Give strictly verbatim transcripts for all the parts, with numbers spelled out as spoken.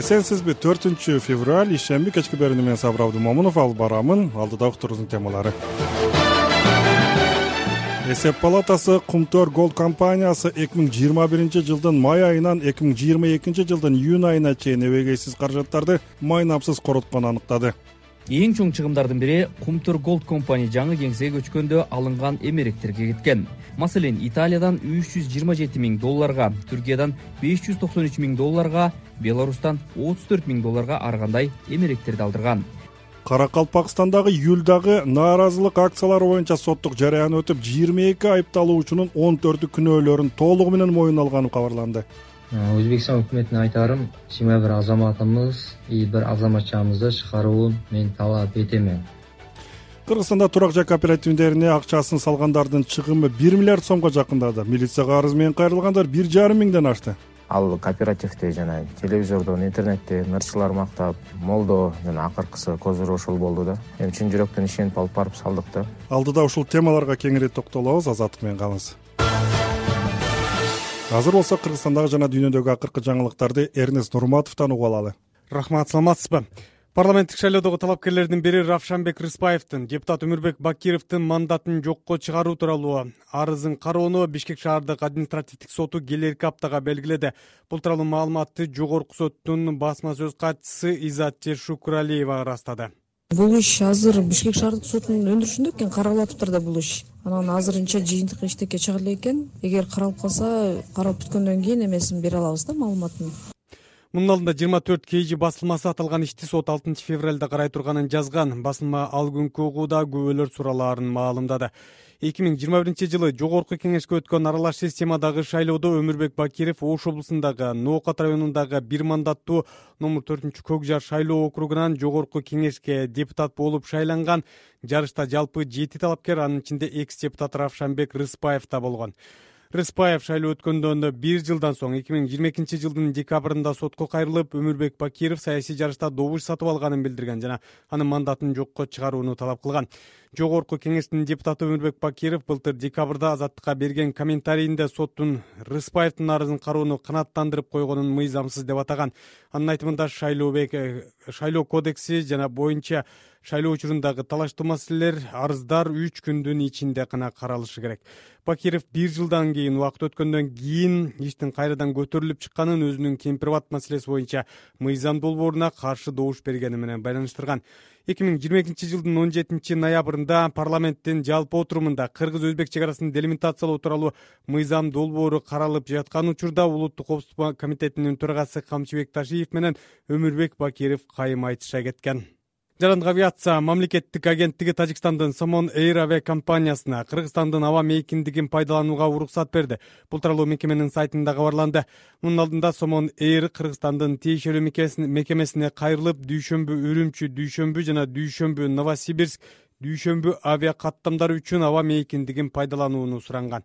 Эсенсизби? төртүнчү февраль ишемби кечки берүүнү мен Сабыр Абдымомунов алып барамын. Алдыда уктуруубуздун темалары. Эсеп палатасы Кумтөр Голд компаниясы эки миң жыйырма биринчи жылдын май айынан эки миң жыйырма экинчи жылдын июнь айына чейин эбегейсиз каражаттарды майнапсыз коротконун аныктады. Эң чоң чыгымдардын бири Кумтөр Голд компания жаңы кеңсеге көчкөндө алынган эмеректерге кеткен. Маселен, Италиядан үч жүз жыйырма жети миң долларга, Түркиядан беш жүз токсон үч миң долларга, Беларустан отуз төрт миң долларга ар кандай эмеректерди алдырган. Каракалпакстандагы июлдагы нааразылык акциялары боюнча соттук жарыян өтүп, жыйырма эки айыпталуучунун он төртү күнөөлөрүн толугу менен мойнуна алганы кабарланды. Өзбекстан өкмөтүнө айтарым, сиңа бир азаматымыз и бир азаматчамызды чыгарууну мен талап этемен. Кыргызстанда турак жай кооперативдерине акчасын салгандардын чыгымы бир миллиард сомго жакындады. Милицияга арыз менен кайрылгандар бир жарым миңден ашты. Ал кооперативде жана телевизордон, интернетте ырчылар мактап, молдо жана акыркысы козур ошол болду да. Эми чын жүрөктөн ишенип алып барып салдык да. Алдыда ушул темаларга кеңири токтолобуз, Азаттык менен калыңыз. Азыр болсо Кыргызстандагы жана дүйнөдөгү акыркы жаңылыктарды Эрнест Нурматовдон угуп алалы. Рахмат, саламатсызбы? Парламенттик шайлоодогу талапкерлердин бири Равшанбек Рыспаевдин депутат Өмүрбек Бакировдун мандатын жокко чыгаруу тууралуу арызын кароону Бишкек шаардык административдик соту келерки аптага белгиледи. Бул тууралуу маалыматты жогорку соттун басма сөз катчысы Изат Шукуралиева ырастады. Бул иш азыр Бишкек шаардык сотунун өндүрүшүндө экен, каралып атыптыр да бул иш. Анан азырынча жыйынтык иштекке чыга элек экен. Эгер каралып калса, каралып бүткөндөн кийин эмесин бере алабыз да, маалыматын. Мунун алдында жыйырма төрт кей жи басылмасы аталган ишти сот алтынчы февралда карай турганын жазган. Басылма ал күнкү угууда күбөлөр суралаарын маалымдады. эки миң жыйырма биринчи жылы жогорку кеңешке өткөн аралаш системадагы шайлоодо Өмүрбек Бакиров Ош облусундагы Ноокат районундагы бир мандаттуу номер төртүнчү Көк жар шайлоо округунан жогорку кеңешке депутат болуп шайланган. Жарышта жалпы жети талапкер, анын ичинде экс-депутат Равшанбек Рыспаев да болгон. Рыспаев шайлоо өткөндөн бир жылдан соң эки миң жыйырма экинчи жылдын декабрында сотко кайрылып, Өмүрбек Бакиров саясий жарышта добуш сатып алганын билдирген жана анын мандатын жокко чыгарууну талап кылган. Жогорку кеңештин депутаты Өмүрбек Бакиров былтыр декабрда Азаттыкка берген комментарийинде соттун Рыспаевдин арызын кароону канааттандырып койгонун мыйзамсыз деп атаган. Анын айтымында шайлообек шайлоо кодекси жана боюнча шайлоо учурундагы талаштуу маселелер, арыздар үч күндүн ичинде гана каралышы керек. Бакиров бир жылдан кийин, убакыт өткөндөн кийин иштин кайрадан көтөрүлүп чыкканын өзүнүн кемпирбат маселеси боюнча мыйзам долбооруна каршы добуш бергени менен байланыштырган. эки миң жыйырма экинчи жылдын он жетинчи ноябрында парламенттин жалпы отурумунда кыргыз-өзбек чек арасын делимитациялоо тууралуу мыйзам долбоору каралып жаткан учурда Улуттук коопсуздук комитетинин төрагасы Камчыбек Ташиев менен Өмүрбек Бакиров кайым айтыша кеткен. Жарандык авиация мамлекеттик агенттиги Тажикстандын Somon Air авиакомпаниясына Кыргызстандын аба мейкиндигин пайдаланууга уруксат берди. Бул тууралуу мекеменин сайтында кабарланды. Мунун алдында Somon Air Кыргызстандын тиешелүү мекемесине кайрылып, дүйшөмбү Үрүмчү, дүйшөмбү жана дүйшөмбү Новосибирск, дүйшөмбү авиа каттамдары үчүн аба мейкиндигин пайдаланууну суранган.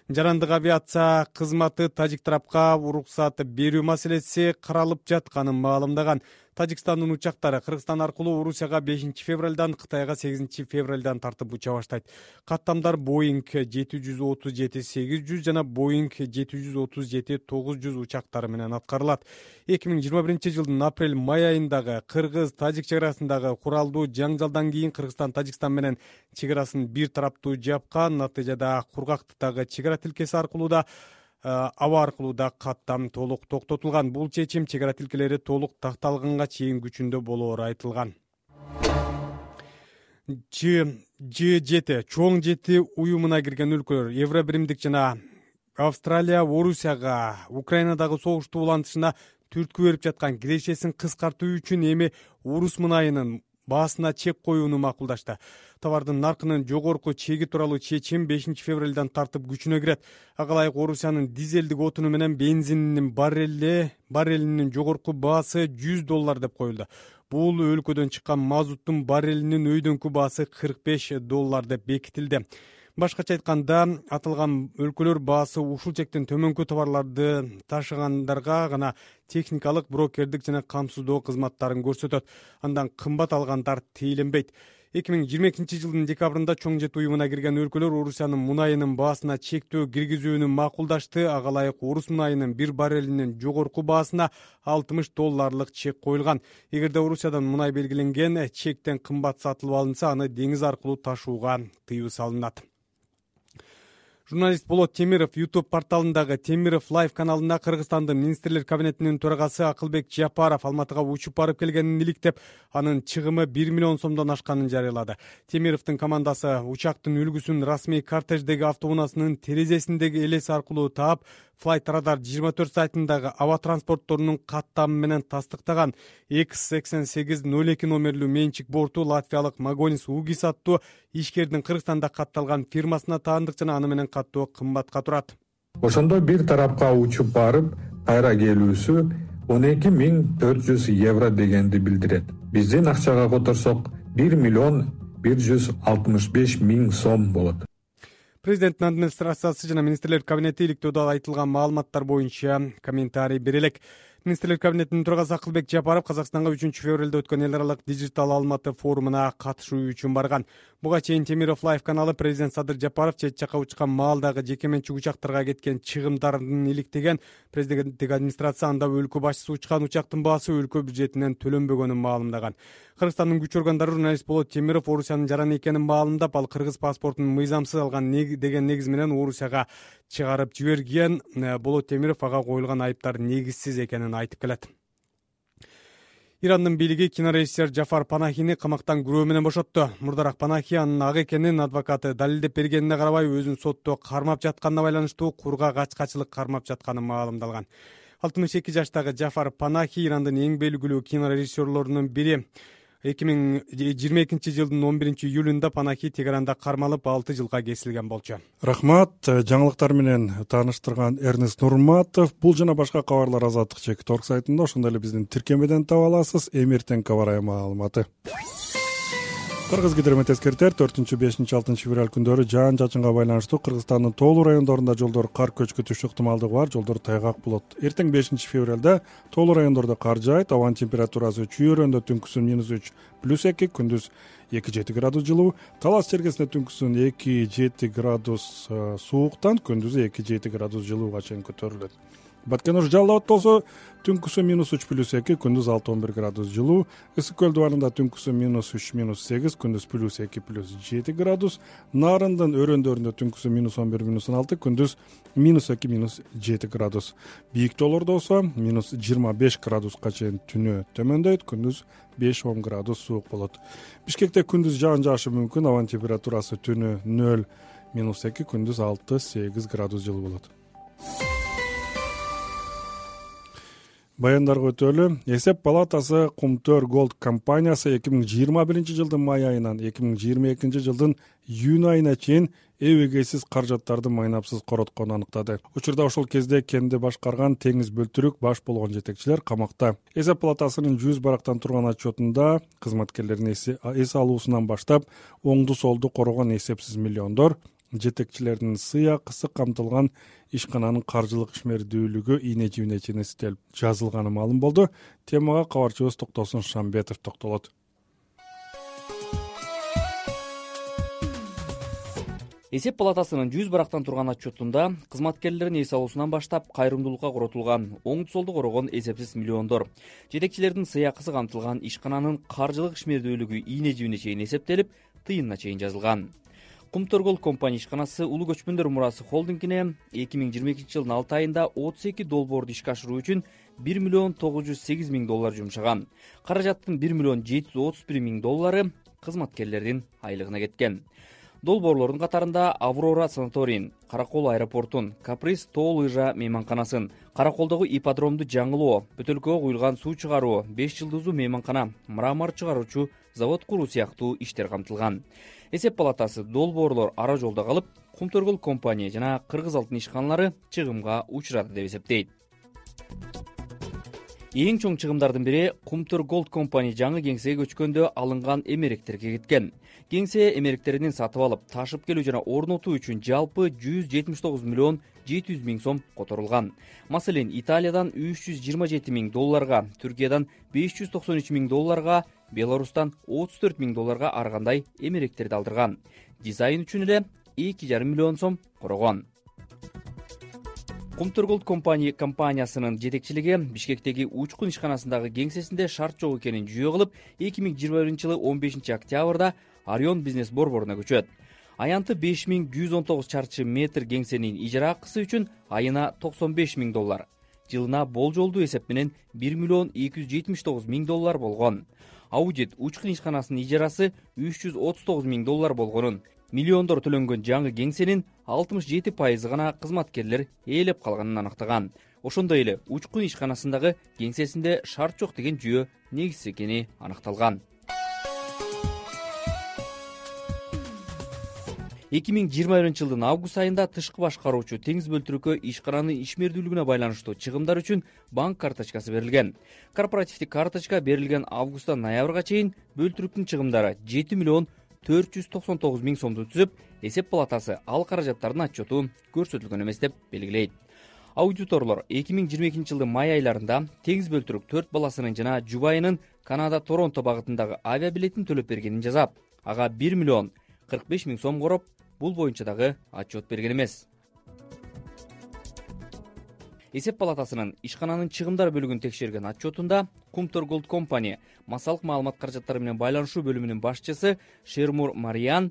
Жарандык авиация кызматы тажик тарапка уруксат берүү маселеси каралып жатканын маалымдаган. Тажикстандын учактары Кыргызстан аркылуу Орусияга бешинчи февралдан, Кытайга сегизинчи февралдан тартып уча баштайт. Каттамдар Boeing жети жүз отуз жети сегиз жүз жана Boeing жети жүз отуз жети тогуз жүз учактары менен аткарылат. эки миң жыйырма биринчи жылдын апрель-май айындагы Кыргыз-Тажик чек арасындагы куралдуу жаңжалдан кийин Кыргызстан Тажикстан менен чек арасын бир тараптуу жапкан. Натыйжада Кургактыктагы чек ара тилкеси аркылуу да аба аркылуу да каттам толук токтотулган. Бул чечим чек ара тилкелери толук такталганга чейин күчүндө болоору айтылган. Ж жети чоң жети уюмуна кирген өлкөлөр Евробиримдик жана Австралия Орусияга Украинадагы согушту улантышына түрткү берип жаткан кирешесин кыскартуу үчүн эми орус мунайынын баасына чек коюуну макулдашты. Товардын наркынын жогорку чеги тууралуу чечим бешинчи февралдан тартып күчүнө кирет. Ага ылайык Орусиянын дизелдик отуну менен бензининин баррели баррелинин жогорку баасы жүз доллар деп коюлду. Бул өлкөдөн чыккан мазуттун баррелинин өйдөнкү баасы кырк беш доллар деп бекитилди. Башкача айтканда, аталган өлкөлөр баасы ушул чектен төмөнкү товарларды ташыгандарга гана техникалык, брокердик жана камсыздоо кызматтарын көрсөтөт. Андан кымбат алгандар тийленбейт. эки миң жыйырма экинчи жылдын декабрында чоң жет уюмуна кирген өлкөлөр Орусиянын мунайынын баасына чектөө киргизүүнү макулдашты. Ага ылайык орус мунайынын бир баррелинин жогорку баасына алтымыш долларлык чек коюлган. Эгерде Орусиядан мунай белгиленген чектен кымбат сатылып алынса, аны деңиз аркылуу ташууга тыюу салынат. Журналист Болот Темиров YouTube порталындагы Темиров Live каналында Кыргызстандын министрлер кабинетинин төрагасы Акылбек Жапаров Алматыга учуп барып келгенин иликтеп, анын чыгымы бир миллион сомдон ашканын жарыялады. Темировдун командасы учактын үлгүсүн расмий кортеждеги автоунаасынын терезесиндеги элес аркылуу таап, Flight Radar жыйырма төрт сайтындагы аба транспортторунун каттамы менен тастыктаган экс сексен сегиз ноль эки номерлүү менчик борту латвиялык Магонис Угис аттуу ишкердин Кыргызстанда катталган фирмасына таандык жана аны менен каттоо кымбатка турат. Ошондо бир тарапка учуп барып, кайра келүүсү он эки миң төрт жүз евро дегенди билдирет. Биздин акчага которсок бир миллион бир жүз алтымыш беш миң сом болот. Президенттин администрациясы жана министрлер кабинети иликтөөдө айтылган маалыматтар боюнча комментарий бере элек. Министрлер кабинетинин төрагасы Акылбек Жапаров Казакстанга үчүнчү февралда өткөн эл аралык дижитал Алматы форумуна катышуу үчүн барган. Буга чейин Темиров Live каналы президент Садыр Жапаров чет жакка учкан маалдагы жеке менчик учактарга кеткен чыгымдарын иликтеген. Президенттик администрация анда өлкө башчысы учкан учактын баасы өлкө бюджетинен төлөнбөгөнүн маалымдаган. Кыргызстандын күч органдары журналист Болот Темиров Орусиянын жараны экенин маалымдап, ал кыргыз паспортун мыйзамсыз алган деген негиз менен Орусияга чыгарып жиберген. Болот Темиров ага коюлган айыптар негизсиз экенин айтып келет. Ирандын бийлиги кинорежиссер Джафар Панахини камактан күрөө менен бошотту. Мурдараак Панахи анын ак экенин адвокаты далилдеп бергенине карабай, өзүн сотто кармап жатканына байланыштуу курга качкачылык кармап жатканы маалымдалган. алтымыш эки жаштагы Джафар Панахи Ирандын эң белгилүү кинорежиссерлорунун бири. эки миң жыйырма экинчи жылдын он биринчи июлунда Панахи Тегеранда кармалып алты жылга кесилген болчу. Рахмат. Жаңылыктар менен тааныштырган Эрнест Нурматов. Бул жана башка кабарлар Азаттык чек точка орг сайтында, ошондой эле биздин тиркемеден таба аласыз. Эмиртен кабарай маалыматы. Кыргызгидромет эскертер, төртүнчү, бешинчи, алтынчы февраль күндөрү жаан чачынга байланыштуу Кыргызстандын тоолуу райондорунда жолдор кар көчкү түшүү ыктымалдыгы бар, жолдор тайгак болот. Эртең бешинчи февралда тоолуу райондордо кар жаайт, абанын температурасы чүйөрөндө түнкүсүн минус үч плюс эки, күндүз эки жети градус жылуу, Талас чергесинде түнкүсүн эки жети градус сууктан, күндүз эки жети градус жылууга чейин көтөрүлөт. Баткен Уж Жалал Абад болсо түнкүсү минус үч плюс эки, күндүз алты он бир градус жылуу. Ысык көл дубарында түнкүсү минус үч минус сегиз, күндүз плюс эки плюс жети градус. Нарындын өрөөндөрүндө түнкүсү минус он бир минус он алты, күндүз минус эки минус жети градус. Бийик тоолордо болсо минус жыйырма беш градуска чейин түнөө төмөндөйт, күндүз беш он градус суук болот. Бишкекте күндүз жаан жаашы мүмкүн, абанын температурасы түнү нөл минус эки, күндүз алты сегиз градус жылуу болот. Баяндарга өтөлү. Эсеп палатасы Кумтөр Голд компаниясы эки миң жыйырма биринчи жылдын май айынан эки миң жыйырма экинчи жылдын июнь айына чейин эбегейсиз каражаттарды майнапсыз коротконун аныктады. Учурда ошол кезде кенди башкарган теңиз бөлтүрүк баш болгон жетекчилер камакта. Эсеп палатасынын жүз барактан турган отчетунда кызматкерлердин эс алуусунан баштап оңду солду корогон эсепсиз миллиондор, жетекчилердин сыйакысы камтылган ишкананын каржылык ишмердүүлүгү ийне жибине чейин эстелип жазылганы маалым болду. Темага кабарчыбыз Токтосун Шамбетов токтолот. Эсеп палатасынын жүз барактан турган отчетунда кызматкерлердин эс алуусунан баштап кайрымдуулукка коротулган оңду солду корогон эсепсиз миллиондор, жетекчилердин сыйакысы камтылган ишкананын каржылык ишмердүүлүгү ийне жибине чейин эсептелип, тыйынына чейин жазылган. Кумтөр Голд компания ишканасы Улуу көчмөндөр мурасы холдингине эки миң жыйырма экинчи жылдын алты айында отуз эки долбоорду ишке ашыруу үчүн бир миллион тогуз жүз сегиз миң доллар жумшаган. Каражаттын бир миллион жети жүз отуз бир миң доллары кызматкерлердин айлыгына кеткен. Долбоорлордун катарында Аврора санаторийин, Каракол аэропортун, Каприз тоо лыжа мейманканасын, Караколдогу ипподромду жаңылоо, бөтөлкөгө куюлган суу чыгаруу, беш жылдыздуу мейманкана, мрамор чыгаруучу завод куруу сыяктуу иштер камтылган. Эсеп палатасы долбоорлор ара жолдо калып, Кумтөр Голд компания жана Кыргыз алтын ишканалары чыгымга учурады деп эсептейт. Эң чоң чыгымдардын бири Кумтөр Голд компания жаңы кеңсеге көчкөндө алынган эмеректерге кеткен. Кеңсе эмеректерин сатып алып, ташып келүү жана орнотуу үчүн жалпы жүз жетимиш тогуз миллион жети жүз миң сом которулган. Маселен, Италиядан үч жүз жыйырма жети миң долларга, Түркиядан беш жүз токсон үч миң долларга, Беларустан отуз төрт миң долларга ар кандай эмеректерди алдырган. Дизайн үчүн эле эки жарым миллион сом корогон. Кумтур Голд компания компаниясынын жетекчилиги Бишкектеги учкун ишканасындагы кеңсесинде шарт жок экенин жүйө кылып, эки миң жыйырма биринчи жылы он бешинчи октябрда Орион бизнес борборуна көчөт. Аянты беш миң жүз он тогуз чарчы метр кеңсенин ижара акысы үчүн айына токсон беш миң доллар, жылына болжолдуу эсеп менен бир миллион эки жүз жетимиш тогуз миң доллар болгон. Аудит учкун ишканасынын ижарасы үч жүз отуз тогуз миң доллар болгонун, миллиондор төлөнгөн жаңы кеңсенин алтымыш жети пайызы гана кызматкерлер ээлеп калганын аныктаган. Ошондой эле учкун ишканасындагы кеңсесинде шарт жок деген жүйө негизсиз экени аныкталган. эки миң жыйырма биринчи жылдын август айында тышкы башкаруучу Теңиз Бөлтүрүккө ишкананын ишмердүүлүгүнө байланыштуу чыгымдар үчүн банк карточкасы берилген. Корпоративдик карточка берилген августтан ноябрга чейин Бөлтүрүктүн чыгымдары жети миллион төрт жүз токсон тогуз миң сомду түзүп, эсеп палатасы ал каражаттардын отчету көрсөтүлгөн эмес деп белгилейт. Аудиторлор эки миң жыйырма экинчи жылдын май айларында Теңиз Бөлтүрүк төрт баласынын жана жубайынын Канада Торонто багытындагы авиабилетин төлөп бергенин жазап, ага бир миллион кырк беш миң сом короп, бул боюнча дагы отчет берген эмес. Эсеп палатасынын ишкананын чыгымдар бөлүгүн текшерген отчетунда Кумтур Голд компания массалык маалымат каражаттары менен байланышуу бөлүмүнүн башчысы Шермур Мариан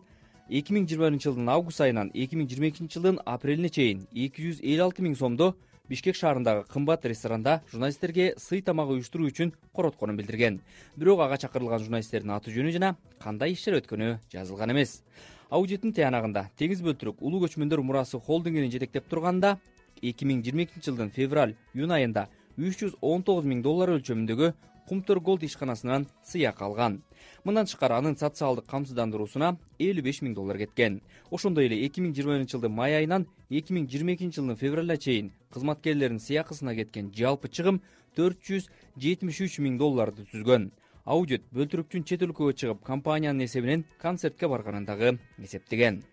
эки миң жыйырма биринчи жылдын август айынан эки миң жыйырма экинчи жылдын апрелине чейин эки жүз элүү алты миң сомдо Бишкек шаарындагы кымбат ресторанда журналисттерге сый тамак уюштуруу үчүн коротконун билдирген. Бирок ага чакырылган журналисттердин аты жөнү жана кандай иштер өткөнү жазылган эмес. Аудиттин тыянагында Теңиз Бөлтүрүк улуу көчмөндөр мурасы холдингинин жетектеп турганда эки миң жыйырма экинчи жылдын февраль-июнь айында үч жүз он тогуз миң доллар өлчөмүндөгү Кумтур Голд ишканасынан сыйак алган. Мындан тышкары анын социалдык камсыздандыруусуна элүү беш миң доллар кеткен. Ошондой эле эки миң жыйырма биринчи жылдын май айынан эки миң жыйырма экинчи жылдын февралына чейин кызматкерлердин сыйакысына кеткен жалпы чыгым төрт жүз жетимиш үч миң долларды түзгөн. Аудит Бөлтүрүктүн чет өлкөгө чыгып компаниянын эсебинен концертке барганын дагы эсептеген.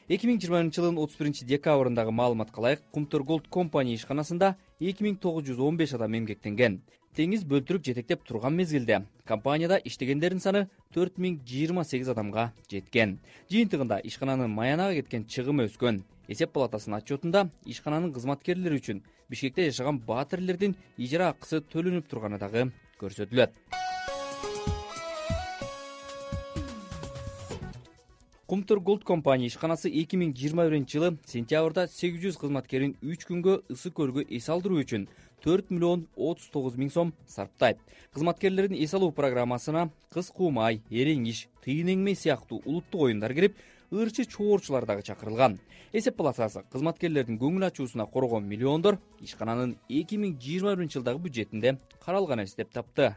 эки миң жыйырма биринчи жылдын отуз биринчи декабрындагы маалыматка ылайык Кумтур Голд компания ишканасында эки миң тогуз жүз он беш адам эмгектенген. Теңиз Бөлтүрүк жетектеп турган мезгилде компанияда иштегендердин саны төрт миң жыйырма сегиз адамга жеткен. Жыйынтыгында ишкананын маянага кеткен чыгымы өскөн. Эсеп палатасынын отчетунда ишкананын кызматкерлери үчүн Бишкекте жашаган баатирлердин ижара акысы төлөнүп турганы дагы көрсөтүлөт. Кумтур Голд компания ишканасы эки миң жыйырма биринчи жылы сентябрда сегиз жүз кызматкерин үч күнгө ысы көргө эс алдыруу үчүн төрт миллион отуз тогуз миң сом сарптайт. Кызматкерлердин эс алуу программасына кыз куумай, эреңиш, тыйын эңмей сыяктуу улуттук оюндар кирип, ырчы чоорчулар дагы чакырылган. Эсеп палатасы кызматкерлердин көңүл ачуусуна коргон миллиондор ишкананын эки миң жыйырма биринчи жылдагы бюджетинде каралган эмес деп тапты.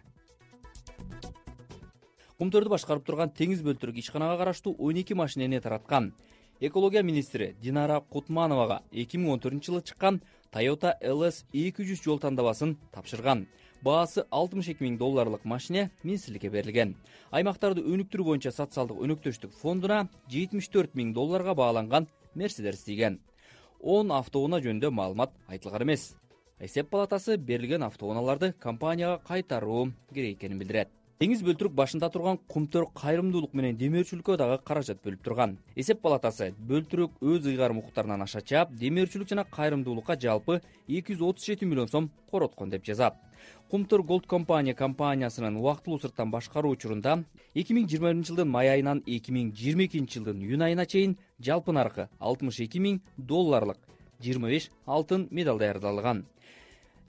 Кумтурду башкарып турган Теңиз Бөлтүрүк ишканага караштуу он эки машинени тараткан. Экология министри Динара Кутмановага эки миң он төртүнчү жылы чыккан Toyota эл эс эки жүз жол тандабасын тапшырган. Баасы алтымыш эки миң долларлык машине министрликке берилген. Аймактарды өнүктүрүү боюнча социалдык өнөктөштүк фондуна жетимиш төрт миң долларга бааланган Мерседес тийген. он автоунаа жөнүндө маалымат айтылган эмес. Эсеп палатасы берилген автоунааларды компанияга кайтаруу керек экенин билдирет. Теңиз Бөлтүрүк башында турган Кумтур кайрымдуулук менен демөөрчүлүккө дагы каражат бөлүп турган. Эсеп палатасы Бөлтүрүк өз ыйгарым укуктарынан аша чаап, демөөрчүлүк жана кайрымдуулукка жалпы эки жүз отуз жети миллион сом короткон деп жазат. Кумтур Голд компания компаниясынын убактылуу сырттан башкаруу учурунда эки миң жыйырма биринчи жылдын май айынан эки миң жыйырма экинчи жылдын июнь айына чейин жалпы наркы алтымыш эки миң долларлык жыйырма беш алтын медаль даярдалган.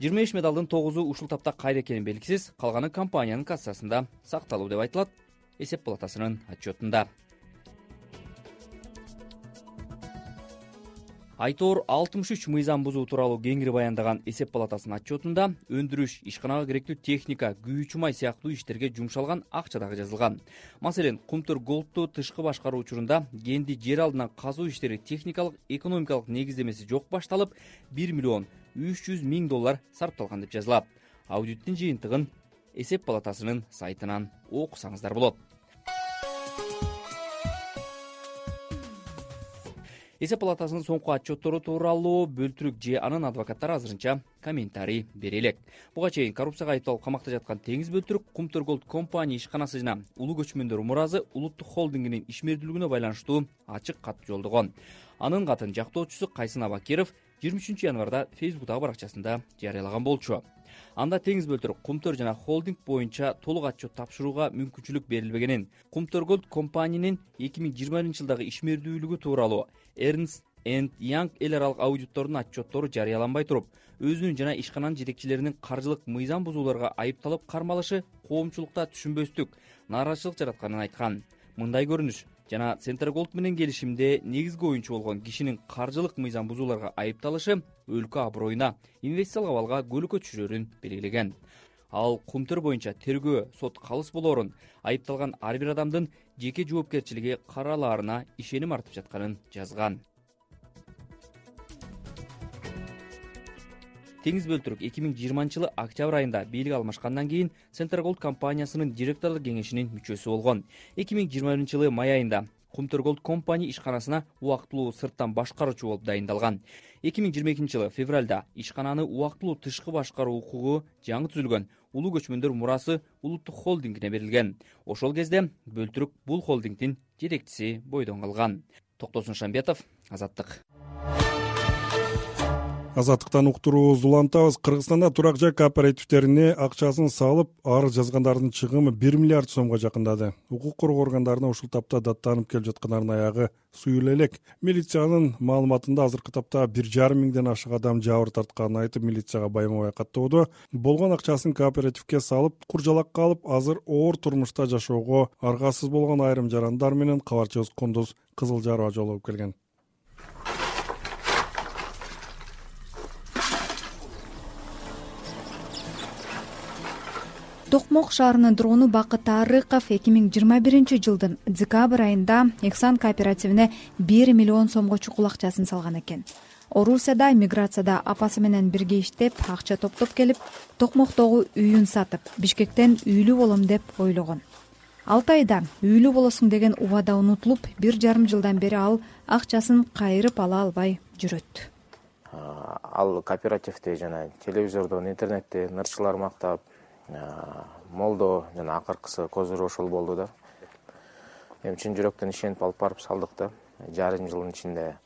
жыйырма беш медалдын тогузу ушул тапта кайда экени белгисиз, калганы компаниянын кассасында сакталуу деп айтылат эсеп палатасынын отчетунда. Айтор алтымыш үч мыйзам бузуу тууралуу кеңири баяндаган эсеп палатасынын отчетунда өндүрүш, ишканага керектүү техника, күйүүчү май сыяктуу иштерге жумшалган акча дагы жазылган. Маселен, Кумтур Голдту тышкы башкаруу учурунда кенди жер алдынан казуу иштери техникалык, экономикалык негиздемеси жок башталып, бир миллион үч жүз миң доллар сарпталган деп жазылат. Аудиттин жыйынтыгын эсеп палатасынын сайтынан окусаңыздар болот. Эсеп палатасынын соңку отчеттору тууралуу Бөлтүрүк же анын адвокаттары азырынча комментарий бере элек. Буга чейин коррупцияга айыпталып камакта жаткан Теңиз Бөлтүрүк Кумтөр Голд компания ишканасы жана Улуу көчмөндөр муразы улуттук холдингинин ишмердүүлүгүнө байланыштуу ачык кат жолдогон. Анын катын жактоочусу Кайсын Абакиров жыйырма үчүнчү январда Фейсбуктагы баракчасында жарыялаган болчу. Анда Теңиз Бөлтүрүк Кумтөр жана холдинг боюнча толук отчет тапшырууга мүмкүнчүлүк берилбегенин, Кумтөр Голд компаниянын эки миң жыйырма биринчи жылдагы ишмердүүлүгү тууралуу Эрнст энд Янг эл аралык аудиттордун отчеттору жарыяланбай туруп, өзүнүн жана ишкананын жетекчилеринин каржылык мыйзам бузууларга айыпталып кармалышы коомчулукта түшүнбөстүк, нааразычылык жаратканын айткан. Мындай көрүнүш жана Центр Голд менен келишимде негизги оюнчу болгон кишинин каржылык мыйзам бузууларга айыпталышы өлкө аброюна, инвестициялык абалга көлөкө түшүрөрүн белгилеген. Ал Кумтөр боюнча тергөө сот калыс болоорун, айыпталган ар бир адамдын жеке жоопкерчилиги каралаарына ишеним артып жатканын жазган. Теңиз Бөлтүрүк эки миң жыйырманчы жылы октябрь айында бийлик алмашкандан кийин Центр Голд компаниясынын директорлук кеңешинин мүчөсү болгон. эки миң жыйырма биринчи жылы май айында Кумтөр Голд компания ишканасына убактылуу сырттан башкаруучу болуп дайындалган. эки миң жыйырма экинчи жылы февралда ишкананы убактылуу тышкы башкаруу укугу жаңы түзүлгөн Улуу көчмөндөр мурасы улуттук холдингине берилген. Ошол кезде Бөлтүрүк бул холдингдин жетекчиси бойдон калган. Токтосун Шамбетов, Азаттык. Азаттыктан уктуруубузду улантабыз. Кыргызстанда турак жай кооперативтерине акчасын салып, арыз жазгандардын чыгымы бир миллиард сомго жакындады. Укук коргоо органдарына ушул тапта даттанып келип жаткандардын аягы суюла элек. Милициянын маалыматында азыркы тапта бир жарым миңден ашык адам жабыр тартканын айтып, милицияга байма-бай каттоодо. Болгон акчасын кооперативге салып, куржалакка алып, азыр оор турмушта жашоого аргасыз болгон айрым жарандар менен кабарчыбыз Кундуз Кызылжарова жолугуп келген. Токмок шаарынын тургуну Бакыт Арыков эки миң жыйырма биринчи жылдын декабрь айында Эксан кооперативине бир миллион сомго чукул акчасын салган экен. Орусияда миграцияда апасы менен бирге иштеп, акча топтоп келип, Токмоктогу үйүн сатып, Бишкектен үйлүү болом деп ойлогон. алты айда үйлүү болосуң деген убада унутулуп, бир жарым жылдан бери ал акчасын кайрып ала албай жүрөт. Ал кооперативде жана телевизордон, интернетте нырчылар мактап, молдо жана акыркысы козур ошол болду да. Эми чын жүрөктөн ишенип алып барып салдык да. Жарым жылдын ичинде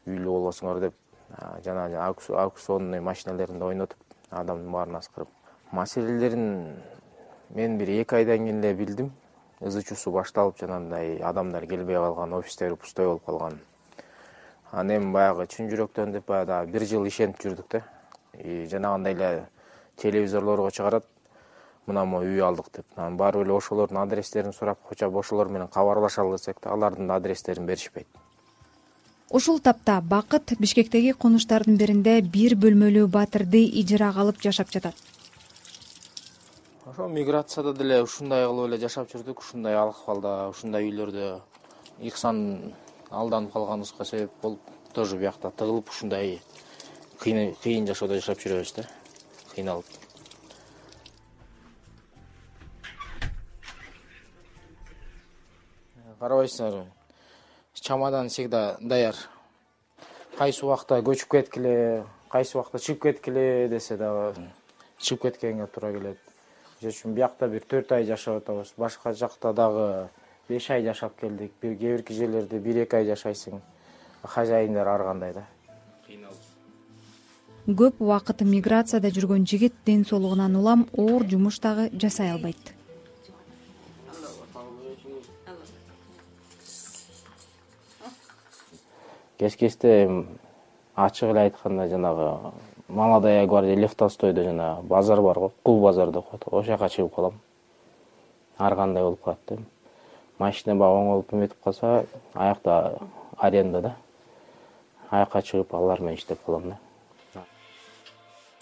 үйлүү болосуңар деп жана аукционный машиналеринде ойнотуп, адамдын баарын аскырып. Маселелерин мен бир эки айдан кийин эле билдим. Ызы-чусу башталып, жанагындай адамдар келбей калган, офистер пустой болуп калган. Аны эми баягы чын жүрөктөн деп баягы бир жыл ишенип жүрдүк да. И жанагындай эле телевизорлорго чыгарат. Мына мо үй алдык деп. Баары эле ошолордун адрестерин сурап, хоча ошолор менен кабарлашалы десек да, алардын адрестерин беришпейт. Ушул тапта Бакыт Бишкектеги конуштардын биринде бир бөлмөлүү батирди ижарага алып жашап жатат. Ошо миграцияда деле ушундай кылып эле жашап жүрдүк, ушундай акыбалда, ушундай үйлөрдө ыксан алданып калганыбызга себеп болуп, тоже биякта тыгылып ушундай кыйын кыйын жашоодо жашап жүрөбүз да, кыйналып. Карабайсыңарбы? Чамадан всегда даяр. Кайсы убакта көчүп кеткиле, кайсы убакта чыгып кеткиле десе дагы чыгып кеткенге туура келет. Үчүн биякта бир төрт ай жашап атабыз. Башка жакта дагы беш ай жашап келдик. Бир кээ бир жерлерде бир эки ай жашайсың. Хажайындар ар кандай да. Көп убакыт миграцияда жүргөн жигит ден соолугунан улам оор жумуш дагы жасай албайт. Кеч-кечте ачык эле айтканда жанагы Молодая гвардия Лев Толстойдо жана базар бар го, Кул базар деп коет. Ошол жака чыгып калам. Ар кандай болуп калат да. Машина баг оңолуп эметип калса, аякта аренда да. Аякка чыгып алар менен иштеп калам да.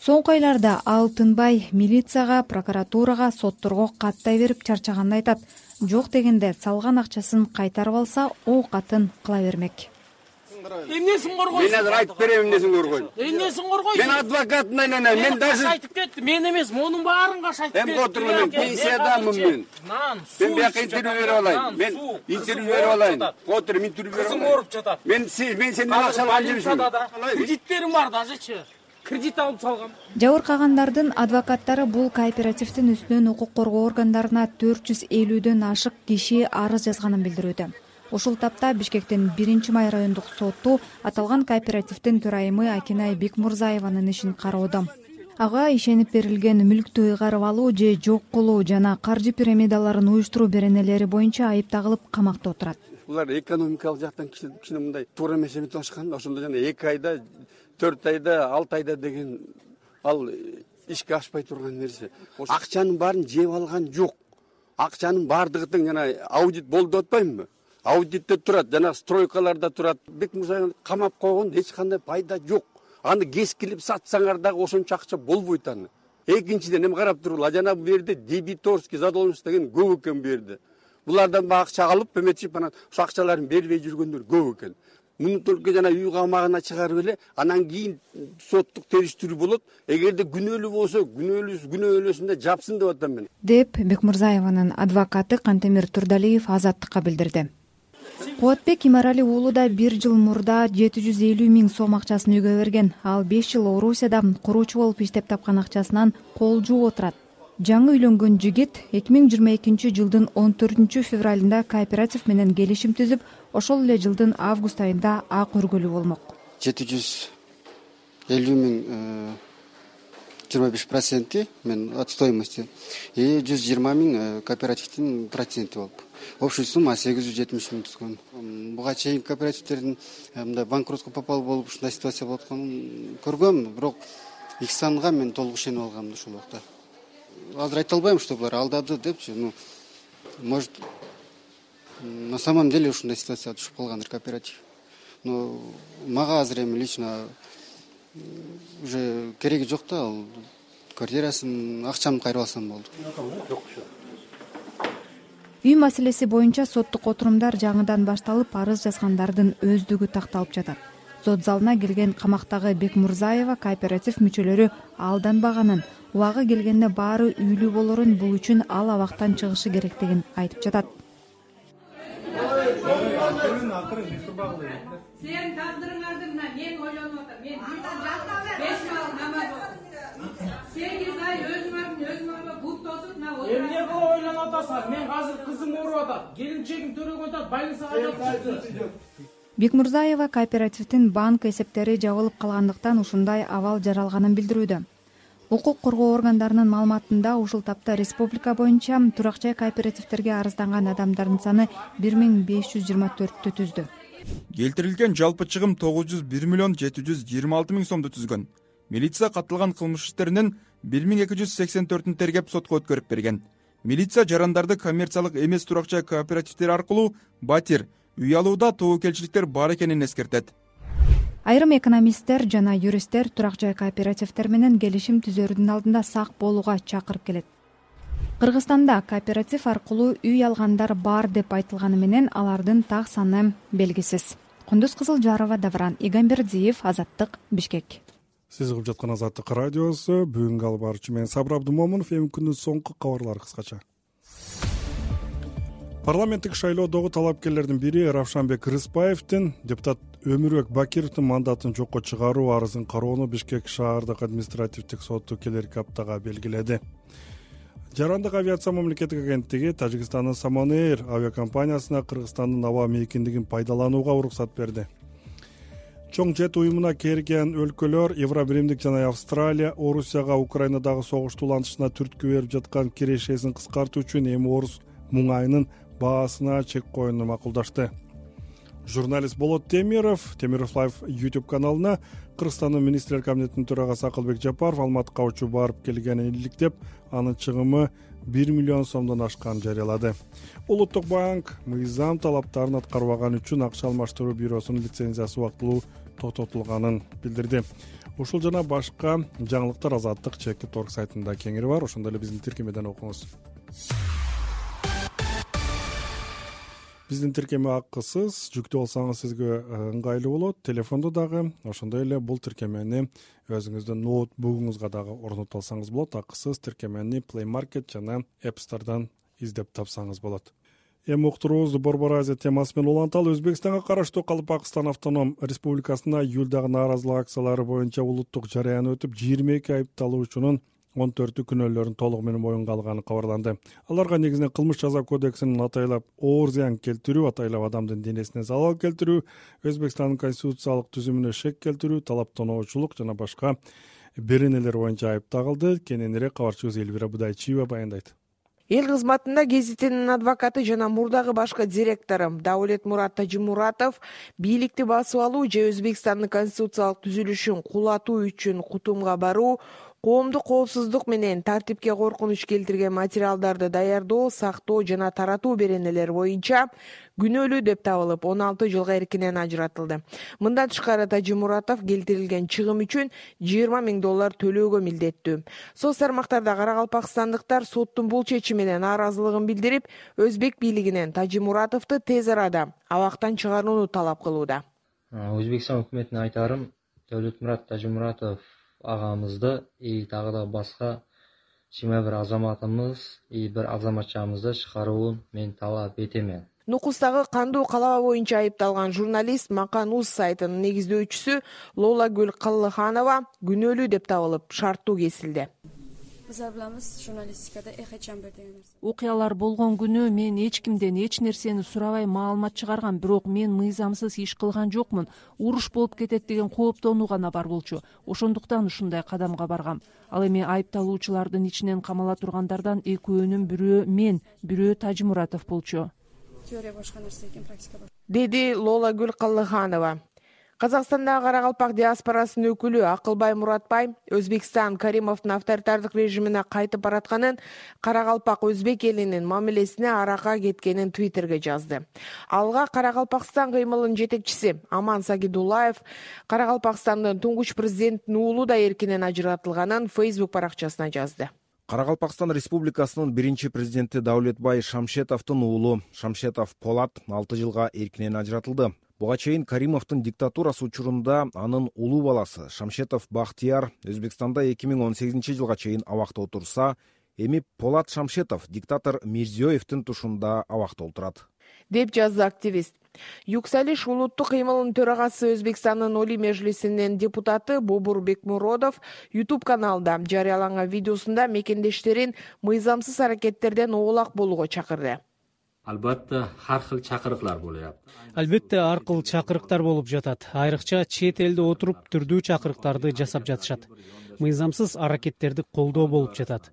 Соңку айларда ал тынбай милицияга, прокуратурага, сотторго каттай берип чарчаганын айтат. Жок дегенде салган акчасын кайтарып алса, о катын кыла бермек. Эмнесин коргойсуң? Мен азыр айтып берем эмнесин коргойм. Эмнесин коргойсуң? Мен адвокатын айланам. Мен даже айтып кетти. Мен эмес, монун баарын каш айтып кетти. Эми отурула мен пенсиядамын мен. Мен бияка интервью берип алайын. Мен интервью берип алайын. Отуруп интервью берип алайын. Кызым ооруп жатат. Мен мен сенден акча алган жемишмин. Кредиттерим бар дажечи. Кредит алып салгам. Жабыркагандардын адвокаттары бул кооперативдин үстүнөн укук коргоо органдарына төрт жүз элүүдөн ашык киши арыз жазганын билдирүүдө. Ушул тапта Бишкектин биринчи май райондук соту аталган кооперативдин төрайымы Акинай Бекмурзаеванын ишин кароодо. Ага ишенип берилген мүлктү ыйгарып алуу же жок кылуу жана каржы пирамидаларын уюштуруу беренелери боюнча айып тагылып камакта отурат. Булар экономикалык жактан кичине мындай туура эмес эметип алышкан. Ошондо жана эки айда, төрт айда, алты айда деген ал ишке ашпай турган нерсе. Акчанын баарын жеп алган жок. Акчанын баардыгы тең жана аудит болду деп атпаймынбы? Аудитте турат, жана стройкаларда турат. Бекмурзаевди камап койгондо эч кандай пайда жок. Аны кескилип сатсаңар дагы ошончо акча болбойт аны. Экинчиден эми карап турула, жана бул жерде дебиторский задолженность деген көп экен бу жерде. Булардан баа акча алып эметип анан ошо акчаларын бербей жүргөндөр көп экен. Муну только жана үй камагына чыгарып эле, анан кийин соттук териштирүү болот. Эгерде күнөөлүү болсо, күнөөлүү күнөөлөсүндө жапсын деп атам мен. Деп Бекмурзаеванын адвокаты Кантемир Турдалиев Азаттыкка билдирди. Кубатбек Имарали уулу да бир жыл мурда жети жүз элүү миң сом акчасын үйгө берген. Ал беш жыл Орусияда куруучу болуп иштеп тапкан акчасынан кол жууп отурат. Жаңы үйлөнгөн жигит эки миң жыйырма экинчи жылдын он төртүнчү февралында кооператив менен келишим түзүп, ошол эле жылдын август айында ак өргөлүү болмок. жети жүз элүү миң жыйырма беш проценти мен от стоимости и жүз жыйырма миң кооперативдин проценти болуп. Общий сумма сегиз жүз жетимиш миң түзгөн. Буга чейин кооперативдердин мындай банкротко попал болуп ушундай ситуация болуп атканын көргөм, бирок Ихсанга мен толук ишенип алгам ошол убакта. Азыр айта албайм, что булар алдады депчи, ну, может, на самом деле ушундай ситуацияга түшүп калгандыр кооператив. Но мага азыр эми лично уже кереги жок да, ал квартирасын, акчамды кайрып алсам болду. Үй маселеси боюнча соттук отурумдар жаңыдан башталып, арыз жазгандардын өздүгү такталып жатат. Сот залына келген камактагы Бекмурзаева кооператив мүчөлөрү алданбаганын, убагы келгенде баары үйлүү болорун, бул үчүн ал абактан чыгышы керектигин айтып жатат. Сен тагдырыңарды мына мен ойлонуп атам. Мен беш мал намаз окуп. сегиз ай өзүңөрдүн өзүңөргө бут тосуп мына отуруп. Эмне кылып ойлонуп атасың? Мен азыр кызым ооруп атат. Келинчегим төрөгөн атат, больницага жатып. Бекмурзаева кооперативдин банк эсептери жабылып калгандыктан ушундай абал жаралганын билдирүүдө. Укук коргоо органдарынын маалыматында ушул тапта республика боюнча турак-жай кооперативдерге арызданган адамдардын саны бир миң беш жүз жыйырма төрттү түздү. Келтирилген жалпы чыгым тогуз жүз бир миллион жети жүз жыйырма алты миң сомду түзгөн. Милиция катталган кылмыш иштеринин бир миң эки жүз сексен төртүн тергеп сотко өткөрүп берген. Милиция жарандарды коммерциялык эмес турак-жай кооперативдери аркылуу батир, үй алууда тобокелчиликтер бар экенин эскертет. Айрым экономисттер жана юристтер турак-жай кооперативдер менен келишим түзөрүнүн алдында сак болууга чакырып келет. Кыргызстанда кооператив аркылуу үй алгандар бар деп айтылганы менен алардын так саны белгисиз. Кундуз Кызылжарова, Давран Игамбердиев, Азаттык, Бишкек. Сиз угуп жаткан Азаттык радиосу, бүгүнкү алып баруучу мен Сабыр Абдумомунов. Эми күндүн соңку кабарлары кыскача. Парламенттик шайлоодогу талапкерлердин бири Равшанбек Рыспаевдин депутат Өмүрбек Бакировдун мандатын жокко чыгаруу арызын кароону Бишкек шаардык административдик соту келерки аптага белгиледи. Жарандык авиация мамлекеттик агенттиги Тажикстандын Самон Эйр авиакомпаниясына Кыргызстандын аба мейкиндигин пайдаланууга уруксат берди. Чоң жет уюмуна кирген өлкөлөр Евробиримдик жана Австралия Орусияга Украинадагы согушту улантышына түрткү берип жаткан кирешесин кыскартуу үчүн эми орус муңайынын баасына чек коюуну макулдашты. Журналист Болот Темиров Темиров Лайв YouTube каналына Кыргызстандын министрлер кабинетинин төрагасы Акылбек Жапаров Алматыга учуп барып келгенин иликтеп, анын чыгымы бир миллион сомдон ашканын жарыялады. Улуттук банк мыйзам талаптарын аткарбаган үчүн акча алмаштыруу бюросунун лицензиясы убактылуу тототулганын билдирди. Ушул жана башка жаңылыктар Азаттык чекит точка орг сайтында кеңири бар. Ошондой эле биздин тиркемеден окуңуз. биздин тиркеме акысыз, жүктүү алсаңыз сизге ыңгайлуу болот. Телефондо дагы ошондой эле бул тиркемени өзүңүздүн ноутбугуңузга дагы орнотуп алсаңыз болот. Акысыз тиркемени Play Market жана App Store'дан издеп тапсаңыз болот. Эми уктуруубузду Борбор Азия темасы менен уланталы. Өзбекстанга караштуу Калпакстан автоном республикасында июлдагы нааразылык акциялары боюнча улуттук жарыян өтүп, жыйырма эки айыпталуучунун он төртү күнөөлөрүн толугу менен моюнга алганы кабарланды. Аларга негизинен кылмыш жаза кодексинин атайлап оор зыян келтирүү, атайлап адамдын денесине залал келтирүү, Өзбекстандын конституциялык түзүмүнө шек келтирүү, талаптоочулук жана башка беренелер боюнча айып тагылды. Кененирээк кабарчыбыз Элвира Будайчиева баяндайт. Эл кызматында гезитинин адвокаты жана мурдагы башкы директору Даулетмурат Тажимуратов бийликти басып алуу же Өзбекстандын конституциялык түзүлүшүн кулатуу үчүн Кутумга баруу, коомдук коопсуздук менен тартипке коркунуч келтирген материалдарды даярдоо, сактоо жана таратуу беренелери боюнча күнөөлүү деп табылып, он алты жылга эркинен ажыратылды. Мындан тышкары Тажимуратов келтирилген чыгым үчүн жыйырма миң доллар төлөөгө милдеттүү. Соц тармактарда каракалпакстандыктар соттун бул чечимине нааразылыгын билдирип, Өзбек бийлигинен Тажимуратовду тез арада абактан чыгарууну талап кылууда. Өзбекстан өкмөтүнө айтарым, Даулетмурат Тажимуратов агамызды и дагы да башка жыйырма бир азаматымыз и бир азаматчамызды чыгарууун мен талап этемен. Нукустагы кандуу калаба боюнча айыпталган журналист Макануз сайтынын негиздөөчүсү Лолагүл Каллыханова күнөөлүү деп табылып, шарттуу кесилди. Окуялар болгон күнү мен эч кимден эч нерсени сурабай маалымат чыгаргам, бирок мен мыйзамсыз иш кылган жокмун. Уруш болуп кетет деген кооптонуу гана бар болчу. Ошондуктан ушундай кадамга баргам. Ал эми айыпталуучулардын ичинен камала тургандардан экөөнүн бирөө мен, бирөө Тажимуратов болчу. Деди Лолагүл Каллыханова. Казакстандагы Каракалпак диаспорасынын өкүлү Акылбай Муратбай Өзбекстан Каримовдун авторитардык режимине кайтып баратканын, Каракалпак өзбек элинин мамилесине арака кеткенин Твиттерге жазды. Алга Каракалпакстан кыймылынын жетекчиси Аман Сагидуллаев Каракалпакстандын туңгуч президентинин уулу да эркинен ажыратылганын Facebook баракчасына жазды. Каракалпакстан Республикасынын биринчи президенти Даулетбай Шамшетовдун уулу Шамшетов Полат алты жылга эркинен ажыратылды. Буга чейин Каримовдун диктатурасы учурунда анын улуу баласы Шамшетов Бахтияр Өзбекстанда эки миң он сегизинчи жылга чейин абакта отурса, эми Полат Шамшетов диктатор Мирзиёевдин тушунда абакта отурат, деп жазды активист. Юксалиш улуттук кыймылынын төрагасы Өзбекстандын Олий Межлисинин депутаты Бобур Бекмуродов YouTube каналында жарыяланган видеосунда мекендештерин мыйзамсыз аракеттерден оолак болууга чакырды. Албетте ар кыл чакырыктар болуп. Албетте ар кыл чакырыктар болуп жатат. Айрыкча чет элде отуруп түрдүү чакырыктарды жасап жатышат. Мыйзамсыз аракеттерди колдоо болуп жатат.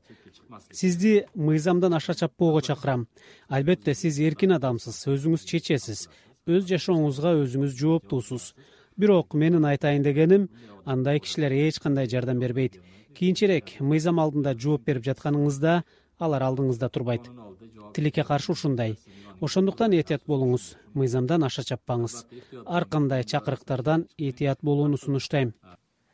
Сизди мыйзамдан аша чаппоого чакырам. Албетте сиз эркин адамсыз, өзүңүз чечесиз. Өз жашооңузга өзүңүз жооптуусуз. Бирок менин айтайын дегеним, андай кишилер эч кандай жардам бербейт. Кийинчерээк мыйзам алдында жооп берип жатканыңызда алар алдыңызда турбайт. Тилекке каршы ушундай. Ошондуктан этият болуңуз, мыйзамдан аша чаппаңыз. Ар кандай чакырыктардан этият болууну сунуштайм.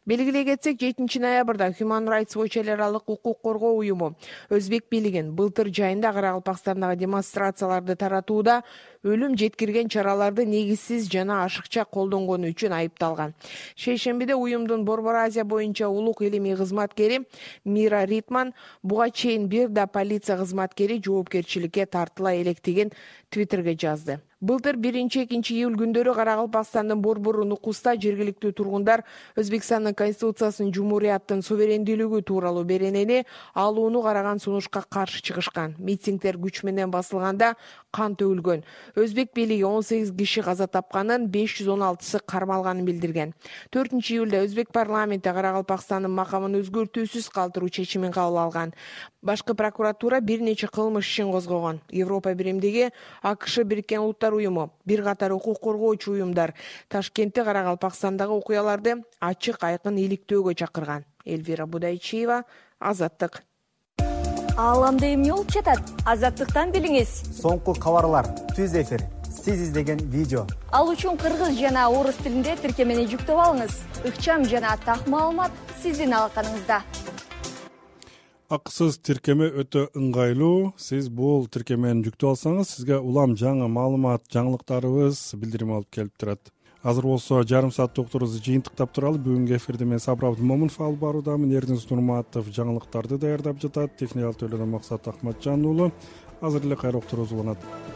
Белгилей кетсек, жетинчи ноябрда Human Rights Watch эл аралык укук коргоо уюму Өзбек бийлигин былтыр жайында Каракалпакстандагы демонстрацияларды таратууда өлүм жеткирген чараларды негизсиз жана ашыкча колдонгону үчүн айыпталган. Шейшембиде уюмдун Борбор Азия боюнча улук илимий кызматкери Мира Ритман буга чейин бир да полиция кызматкери жоопкерчиликке тартыла электигин Твиттерге жазды. Былтыр биринчи-экинчи июль күндөрү Каракалпакстандын Борбору Нукуста жергиликтүү тургундар Өзбекстандын конституциясынын жумурияттын суверендүүлүгү тууралуу беренени алууну караган сунушка каршы чыгышкан. Митингдер күч менен басылганда кан төгүлгөн. Өзбек бийлиги он сегиз киши каза тапканын, беш жүз он алтысы кармалганын билдирген. төртүнчү июлда Өзбек парламенти Каракалпакстандын макамын өзгөртүүсүз калтыруу чечимин кабыл алган. Башкы прокуратура бир нече кылмыш ишин козгогон. Европа биримдиги, АКШ Бириккен Улуттар уюму, бир катар укук коргоочу уюмдар Ташкентте Каракалпакстандагы окуяларды ачык айкын иликтөөгө чакырган. Элвира Будайчиева, Азаттык. Ааламда эмне болуп жатат? Азаттыктан билиңиз. Соңку кабарлар, түз эфир, сиз издеген видео. Ал үчүн кыргыз жана орус тилинде тиркемени жүктөп алыңыз. Ыкчам жана так маалымат сиздин алаканыңызда. акысыз тиркеме өтө ыңгайлуу. Сиз бул тиркемени жүктөп алсаңыз, сизге улам жаңы маалымат, жаңылыктарыбыз билдирим алып келип турат. Азыр болсо жарым саат уктурубузду жыйынтыктап туралы. Бүгүнкү эфирди мен Сабыр Абдымомунов алып баруудамын. Эрдинис Нурматов жаңылыктарды даярдап жатат. Техникалык төлөдөн Максат Акматжан уулу. Азыр эле кайра уктуруубуз уланат.